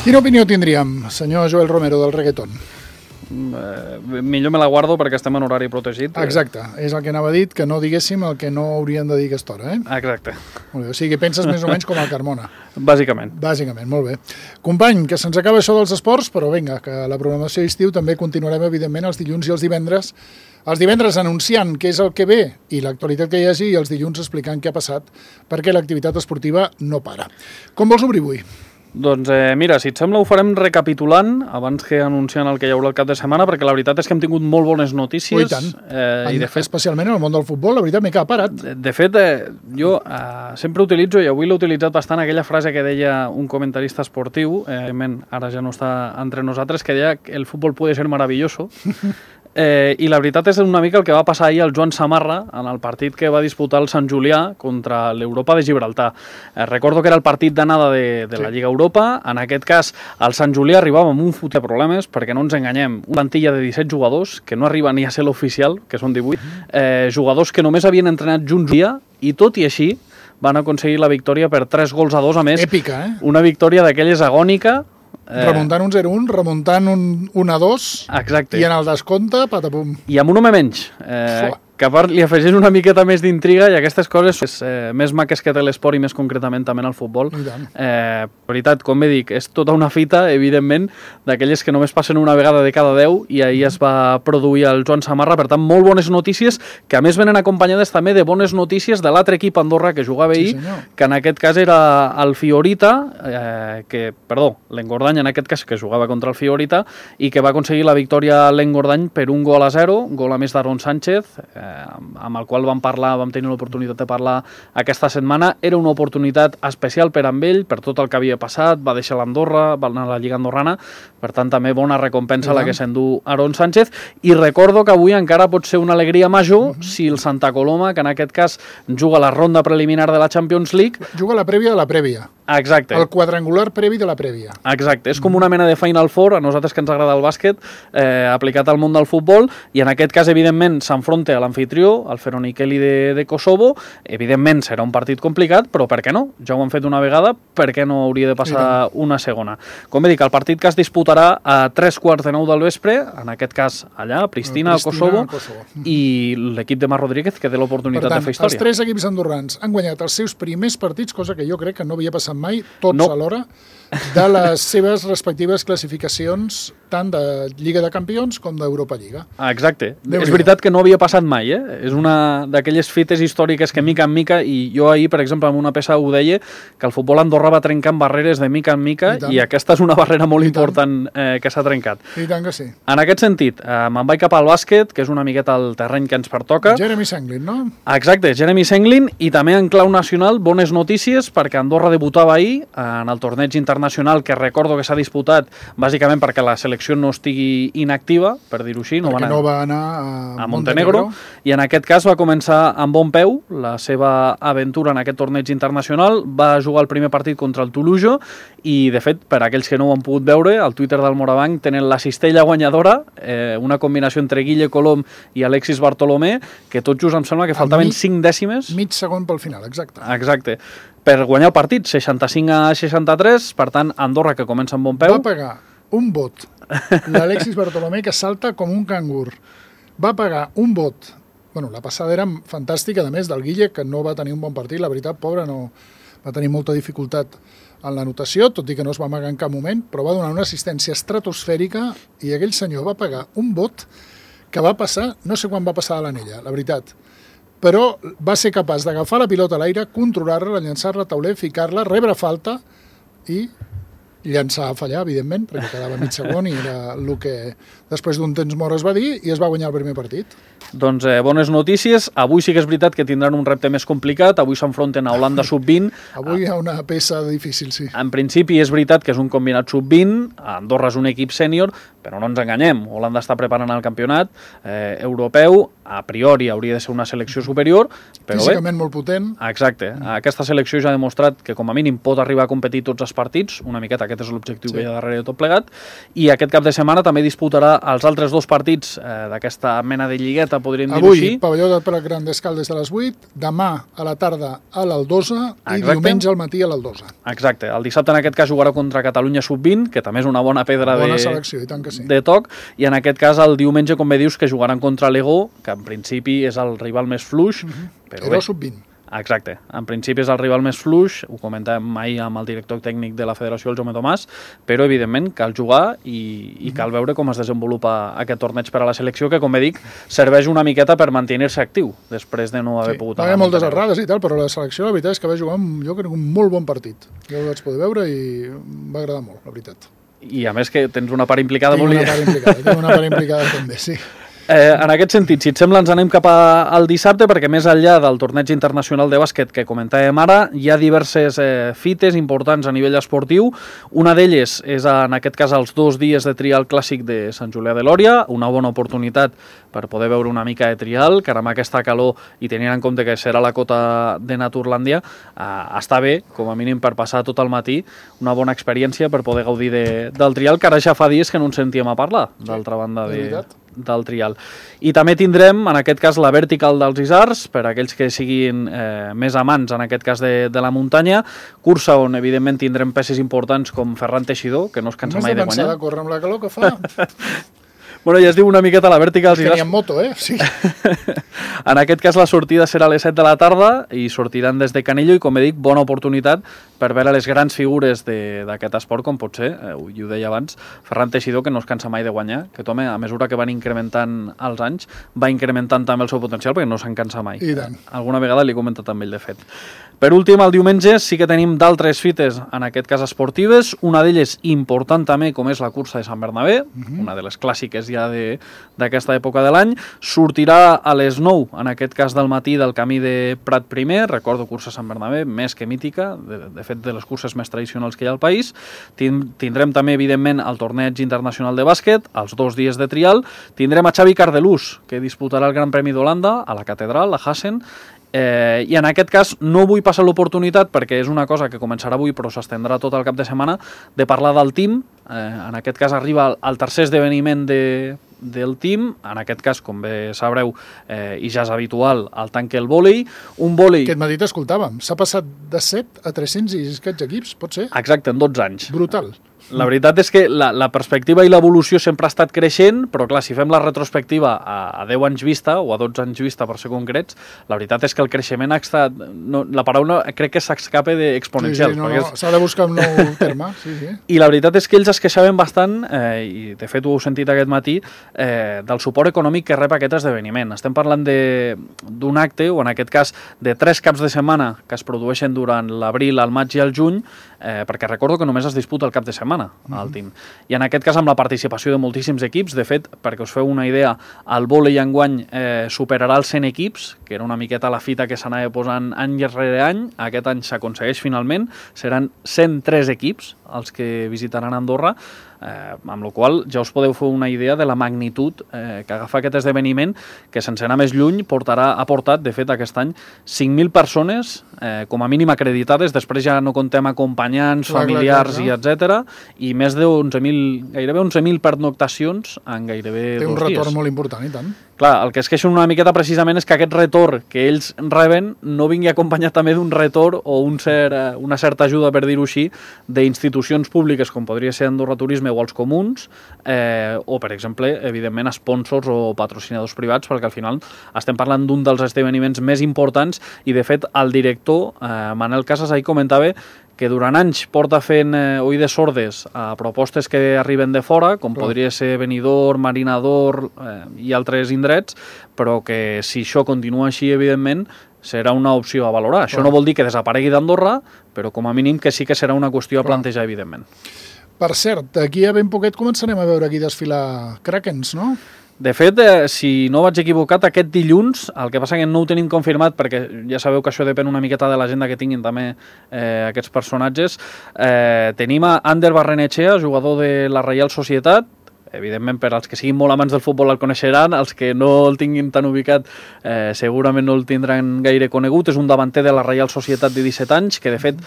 Quina opinió tindríem, senyor Joel Romero, del reggaeton? Millor me la guardo perquè estem en horari protegit. Exacte, és el que anava dit, que no diguéssim el que no hauríem de dir a aquesta hora, Exacte. Molt bé, o sigui, penses més o menys com el Carmona. Bàsicament. Bàsicament, molt bé. Company, que se'ns acaba això dels esports, però vinga, que la programació d'estiu també continuarem, evidentment, els dilluns i els divendres. Els divendres anunciant què és el que ve i l'actualitat que hi hagi, i els dilluns explicant què ha passat, perquè l'activitat esportiva no para. Com vols obrir avui? Doncs mira, si et sembla ho farem recapitulant abans que anunciant el que hi haurà el cap de setmana, perquè la veritat és que hem tingut molt bones notícies. I tant. I de fet, especialment en el món del futbol, la veritat m'he quedat parat. De fet, jo sempre utilitzo, i avui l'he utilitzat bastant, aquella frase que deia un comentarista esportiu, ara ja no està entre nosaltres, que deia que el futbol puede ser maravilloso. I la veritat és una mica el que va passar ahir al Joan Samarra en el partit que va disputar el Sant Julià contra l'Europa de Gibraltar. Recordo que era el partit d'anada de la Lliga Europa. En aquest cas, el Sant Julià arribava amb un fot de problemes, perquè no ens enganyem, una plantilla de 17 jugadors, que no arriba ni a ser l'oficial, que són 18, jugadors que només havien entrenat junts un dia, i tot i així van aconseguir la victòria per 3-2, a més. Èpica, Una victòria d'aquelles agònica, remuntant un 0-1, remuntant un 1-2. Exacte. I en el descompte, patapum. I amb un home menys, que a part li afegeix una miqueta més d'intriga, i aquestes coses més maques que té l'esport i més concretament també en el futbol. La veritat, com bé dic, és tota una fita, evidentment, d'aquelles que només passen una vegada de cada 10, i ahir es va produir el Joan Samarra. Per tant, molt bones notícies, que a més venen acompanyades també de bones notícies de l'altre equip Andorra que jugava ahir, que en aquest cas era el Fiorita, l'Engordany en aquest cas, que jugava contra el Fiorita, i que va aconseguir la victòria a l'Engordany per 1-0, gol a més d'Aaron Sánchez, amb el qual vam tenir l'oportunitat de parlar aquesta setmana. Era una oportunitat especial per amb ell, per tot el que havia passat, va deixar l'Andorra, va anar a la Lliga Andorrana, per tant també bona recompensa la que s'endú Aaron Sánchez, i recordo que avui encara pot ser una alegria major si el Santa Coloma, que en aquest cas juga la ronda preliminar de la Champions League, juga la prèvia de la prèvia. Exacte. El quadrangular previ de la prèvia. Exacte, és com una mena de Final Four, a nosaltres que ens agrada el bàsquet, aplicat al món del futbol, i en aquest cas, evidentment, s'enfronta a l'anfitrió, el Feronikeli de Kosovo. Evidentment serà un partit complicat, però per què no? Ja ho han fet una vegada, per què no hauria de passar una segona? Com he dit, el partit que es disputarà a 9:15 del vespre, en aquest cas allà, a Pristina, al Kosovo, i l'equip de Marc Rodríguez, que té l'oportunitat de fer història. Els tres equips andorrans han guanyat els seus primers partits, cosa que jo crec que no havia passat mai, tots alhora, de les seves respectives classificacions tant de Lliga de Campions com d'Europa Lliga. Exacte. És veritat que no havia passat mai, És una d'aquelles fites històriques que mica en mica, i jo ahir, per exemple, en una peça ho deia, que el futbol Andorra va trencant barreres de mica en mica, i aquesta és una barrera molt important que s'ha trencat. I tant que sí. En aquest sentit, me'n vaig cap al bàsquet, que és una miqueta el terreny que ens pertoca. Jeremy Senglin, no? Exacte, Jeremy Senglin, i també en clau nacional, bones notícies, perquè Andorra debutava ahir en el torneig internacional, que recordo que s'ha disputat bàsicament perquè la selecció no estigui inactiva, per dir-ho així. Perquè no va anar a Montenegro, i en aquest cas va començar amb bon peu la seva aventura en aquest torneig internacional. Va jugar el primer partit contra el Toulouse, i de fet, per aquells que no ho han pogut veure, al Twitter del Morabanc tenen la cistella guanyadora, una combinació entre Guille Colom i Alexis Bartolomé, que tot just em sembla que faltaven 5 dècimes. Mig segon pel final, exacte. Exacte. Per guanyar el partit, 65-63, per tant, Andorra, que comença amb bon peu. Va pagar un vot l'Alexis Bartolomé, que salta com un cangur. Va pagar un vot. Bueno, la passada era fantàstica, a més del Guille, que no va tenir un bon partit. La veritat, pobre, no va tenir molta dificultat en l'anotació, tot i que no es va amagar en cap moment, però va donar una assistència estratosfèrica, i aquell senyor va pagar un vot que va passar, no sé quan va passar a l'anella, la veritat, però va ser capaç d'agafar la pilota a l'aire, controlar-la, llançar-la a tauler, ficar-la, rebre falta i llançar a fallar, evidentment, perquè quedava mig segon, i era el que després d'un temps mort es va dir, i es va guanyar el primer partit. Doncs bones notícies. Avui sí que és veritat que tindran un repte més complicat. Avui s'enfronten a Holanda sub-20. Avui hi ha una peça difícil, sí. En principi és veritat que és un combinat sub-20. Andorra és un equip sènior, però no ens enganyem. Holanda està preparant el campionat europeu. A priori hauria de ser una selecció superior, però físicament molt potent. Exacte. Aquesta selecció ja ha demostrat que com a mínim pot arribar a competir tots els partits. Una miqueta aquest és l'objectiu que hi ha darrere de tot plegat. I aquest cap de setmana també disputarà els altres dos partits d'aquesta mena de lligueta miqueta, podríem dir-ho Avui, així. pavelló de Prat Grandes Caldes a les 8, demà a la tarda a l'Aldosa i Exacte. diumenge al matí a l'Aldosa. Exacte. El dissabte, en aquest cas, jugarà contra Catalunya Sub-20, que també és una bona pedra Bona selecció, i tant que sí. de toc, i en aquest cas el diumenge, com bé dius, que jugaran contra l'Ego, que en principi és el rival més fluix, però Era bé. Sub-20. Exacte. En principi és el rival més fluix, ho comentàvem ahir amb el director tècnic de la Federació, el Jaume Tomàs, però evidentment cal jugar i cal veure com es desenvolupa aquest torneig per a la selecció, que com bé dic, serveix una miqueta per mantenir-se actiu després de no haver pogut Va haver moltes errades i tal, però la selecció la veritat és que va jugar jo crec un molt bon partit. Jo el vaig poder veure i em va agradar molt, la veritat. I a més que tens una part implicada Tinc una part implicada també, sí. En aquest sentit, si et sembla, ens anem cap al dissabte, perquè més enllà del torneig internacional de bàsquet que comentàvem ara, hi ha diverses fites importants a nivell esportiu. Una d'elles és, en aquest cas, els 2 dies de trial clàssic de Sant Julià de Lòria, una bona oportunitat per poder veure una mica de trial, que ara amb aquesta calor i tenint en compte que serà la cota de Naturlàndia, està bé, com a mínim per passar tot el matí, una bona experiència per poder gaudir del trial, que ara ja fa dies que no ens sentíem a parlar, d'altra banda del trial. I també tindrem, en aquest cas, la Vertical dels Isars, per a aquells que siguin més amants, en aquest cas, de la muntanya, cursa on, evidentment, tindrem peces importants com Ferran Teixidor, que no es cansa mai de guanyar. Només de pensar de córrer amb la calor que fa. Bueno, ja es diu una miqueta la Vertical dels Isars. Que ni en moto, Sí. En aquest cas, la sortida serà a les 7 de la tarda i sortiran des de Canillo i, com he dit, bona oportunitat per veure les grans figures d'aquest esport, com pot ser, i ho deia abans, Ferran Teixidor, que no es cansa mai de guanyar, que home, a mesura que van incrementant els anys, va incrementant també el seu potencial, perquè no se'n cansa mai. I tant. Alguna vegada l'he comentat amb ell, de fet. Per últim, el diumenge sí que tenim d'altres fites, en aquest cas esportives, una d'elles important també, com és la cursa de Sant Bernabé, una de les clàssiques ja d'aquesta època de l'any. Sortirà a les 9, en aquest cas del matí, del camí de Prat primer, recordo cursa Sant Bernabé, més que mítica, de fet de les curses més tradicionals que hi ha al país. Tindrem també, evidentment, el torneig internacional de bàsquet, els 2 dies de trial. Tindrem a Xavi Cardelús, que disputarà el Gran Premi d'Holanda a la Catedral, a Hassen, i en aquest cas no vull passar l'oportunitat, perquè és una cosa que començarà avui però s'estendrà tot el cap de setmana, de parlar del team. En aquest cas arriba el tercer esdeveniment del team, en aquest cas, com bé sabreu, i ja és habitual, el tanque el vòlei. Un vòlei... Aquest matí t'escoltàvem, s'ha passat de 7 a 300 i escaig equips, pot ser? Exacte, en 12 anys. Brutal. La veritat és que la perspectiva i l'evolució sempre ha estat creixent, però clar, si fem la retrospectiva a 10 anys vista, o a 12 anys vista per ser concrets, la veritat és que el creixement ha estat... No, la paraula crec que s'escapa d'exponencial. Sí, s'ha de buscar un nou terme. Sí. I la veritat és que ells es queixaven bastant, i de fet ho heu sentit aquest matí, del suport econòmic que rep aquest esdeveniment. Estem parlant d'un acte, o en aquest cas de 3 caps de setmana que es produeixen durant l'abril, el maig i el juny, perquè recordo que només es disputa el cap de setmana al team. I en aquest cas amb la participació de moltíssims equips. De fet, perquè us feu una idea, el vòlei enguany superarà els 100 equips, que era una miqueta la fita que s'anava posant any rere any. Aquest any s'aconsegueix finalment. Seran 103 equips els que visitaran Andorra, amb la qual ja us podeu fer una idea de la magnitud que agafa aquest esdeveniment, que sense anar més lluny ha portat, de fet, aquest any 5.000 persones com a mínim acreditades, després ja no contem acompanyants, familiars i etc. I més de 11.000, gairebé 11.000 pernoctacions en gairebé 2 dies. Té un retorn molt important, i tant. Clar, el que es queixen una miqueta precisament és que aquest retorn que ells reben no vingui acompanyat també d'un retorn o una certa ajuda, per dir-ho així, d'institucions públiques com podria ser Andorra Turisme o els comuns, o, per exemple, evidentment, sponsors o patrocinadors privats, perquè al final estem parlant d'un dels esdeveniments més importants i, de fet, el director, Manel Casas, ahir comentava que durant anys porta fent oïdes sordes a propostes que arriben de fora, com podria ser Benidorm, Marinador i altres indrets, però que si això continua així, evidentment, serà una opció a valorar. Això no vol dir que desaparegui d'Andorra, però com a mínim que sí que serà una qüestió a plantejar, evidentment. Per cert, d'aquí a ben poquet començarem a veure aquí desfilar Krakens, no? De fet, si no vaig equivocat, aquest dilluns, el que passa que no ho tenim confirmat, perquè ja sabeu que això depèn una miqueta de l'agenda que tinguin també aquests personatges, tenim a Ander Barrenetxea, jugador de la Reial Societat. Evidentment, per als que siguin molt amants del futbol el coneixeran, els que no el tinguin tan ubicat segurament no el tindran gaire conegut. És un davanter de la Reial Societat de 17 anys, que de fet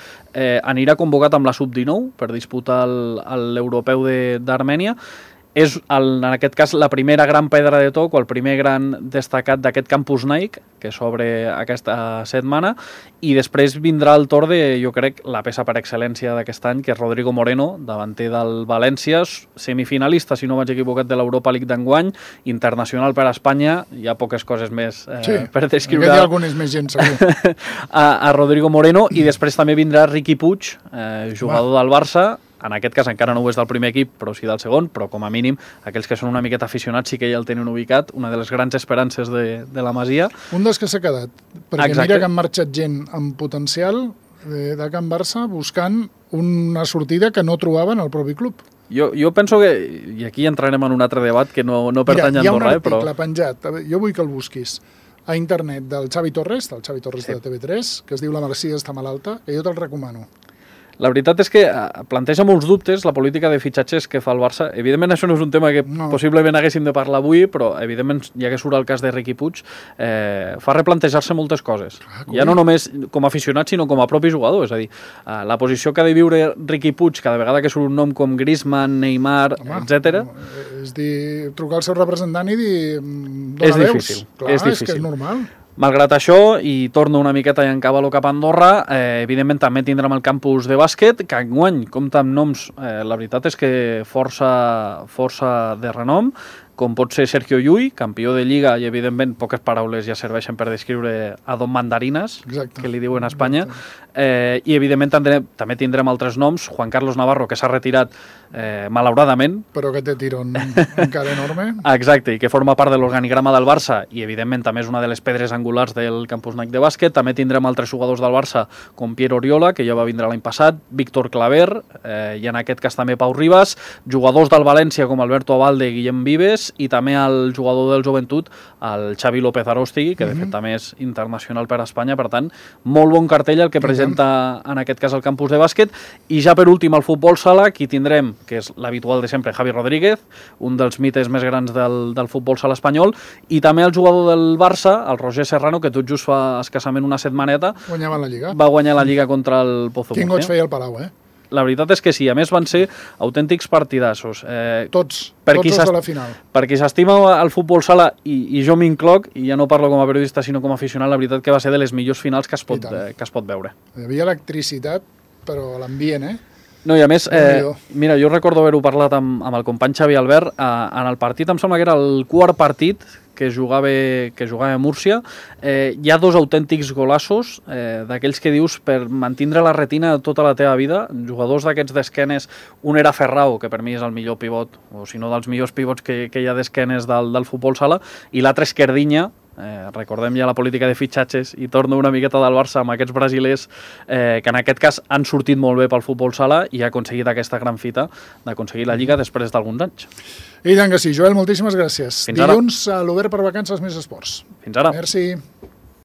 anirà convocat amb la Sub-19 per disputar l'Europeu d'Armènia. és, en aquest cas, la primera gran pedra de toc o el primer gran destacat d'aquest Campus Nike, que s'obre aquesta setmana, i després vindrà el torn de, jo crec, la peça per excel·lència d'aquest any, que és Rodrigo Moreno, davanter del València, semifinalista, si no vaig equivocat, de l'Europa League d'enguany, internacional per a Espanya, hi ha poques coses més per descriure. Hi ha algunes més gent, segur. a Rodrigo Moreno, i després també vindrà Riqui Puig, jugador del Barça, en aquest cas encara no ho és del primer equip, però sí del segon, però com a mínim aquells que són una miqueta aficionats sí que ja el tenen ubicat, una de les grans esperances de la Masia. Un dels que s'ha quedat, perquè Exacte. Mira que han marxat gent amb potencial de Can Barça buscant una sortida que no trobaven al propi club. Jo penso que, i aquí entrarem en un altre debat que no pertany a Andorra, però... Hi ha un article penjat, jo vull que el busquis, a internet del Xavi Torres sí. De TV3, que es diu La Masia està malalta, que jo te'l recomano. La veritat és que planteja molts dubtes la política de fitxatges que fa el Barça. Evidentment, això no és un tema que possiblement haguéssim de parlar avui, però, evidentment, ja que surt el cas de Riqui Puig, fa replantejar-se moltes coses. Ja no només com a aficionat, sinó com a propi jugador. És a dir, la posició que ha de viure Riqui Puig cada vegada que surt un nom com Griezmann, Neymar, etc. És dir, trucar al seu representant i dir... És difícil. Clar, és que és normal. Malgrat això, i torno una miqueta i encavalo cap a Andorra, evidentment també tindrem el campus de bàsquet, que enguany compta amb noms, la veritat és que força de renom, com pot ser Sergio Llull, campió de Lliga, i evidentment poques paraules ja serveixen per descriure a Don Mandarinas, que li diuen a Espanya, i evidentment també tindrem altres noms, Juan Carlos Navarro, que s'ha retirat malauradament. Però que té tirón encara enorme. Exacte, i que forma part de l'organigrama del Barça, i evidentment també és una de les pedres angulars del Campus Nike de bàsquet. També tindrem altres jugadors del Barça, com Piero Oriola, que ja va vindre l'any passat, Víctor Claver, i en aquest cas també Pau Ribas, jugadors del València com Alberto Abalde i Guillem Vives, i també el jugador del Joventut, el Xavi López Arostigui, que de fet també és internacional per a Espanya, per tant, molt bon cartell el que presenta en aquest cas el campus de bàsquet. I ja per últim el futbol sala, aquí tindrem, que és l'habitual de sempre, Javi Rodríguez, un dels mites més grans del futbol sala espanyol, i també el jugador del Barça, el Roger Serrano, que tot just fa escassament una setmaneta guanyava la Lliga. Va guanyar la Lliga contra el Pozo Murcia. Quin goig feia el Palau, La veritat és que sí, a més van ser autèntics partidassos. Tots els de la final. Per qui s'estima el futbol sala, i jo m'incloc, i ja no parlo com a periodista sinó com a aficionat, la veritat que va ser de les millors finals que es pot veure. Hi havia electricitat, però a l'ambient, No, i a més, mira, jo recordo haver-ho parlat amb el company Xavi Albert, en el partit, em sembla que era el quart partit que jugava a Múrcia, hi ha dos autèntics golassos, d'aquells que dius per mantindre la retina tota la teva vida, jugadors d'aquests d'esquenes, un era Ferrao, que per mi és el millor pivot, o si no dels millors pivots que hi ha d'esquenes del futbol sala, i l'altre Esquerdinya, recordem ja la política de fitxatges, i torno una miqueta del Barça amb aquests brasilers que en aquest cas han sortit molt bé pel futbol sala i ha aconseguit aquesta gran fita d'aconseguir la Lliga després d'alguns anys. I tant que sí. Joel, moltíssimes gràcies. Fins ara. Dilluns a l'Obert per Vacances Més Esports. Fins ara. Merci.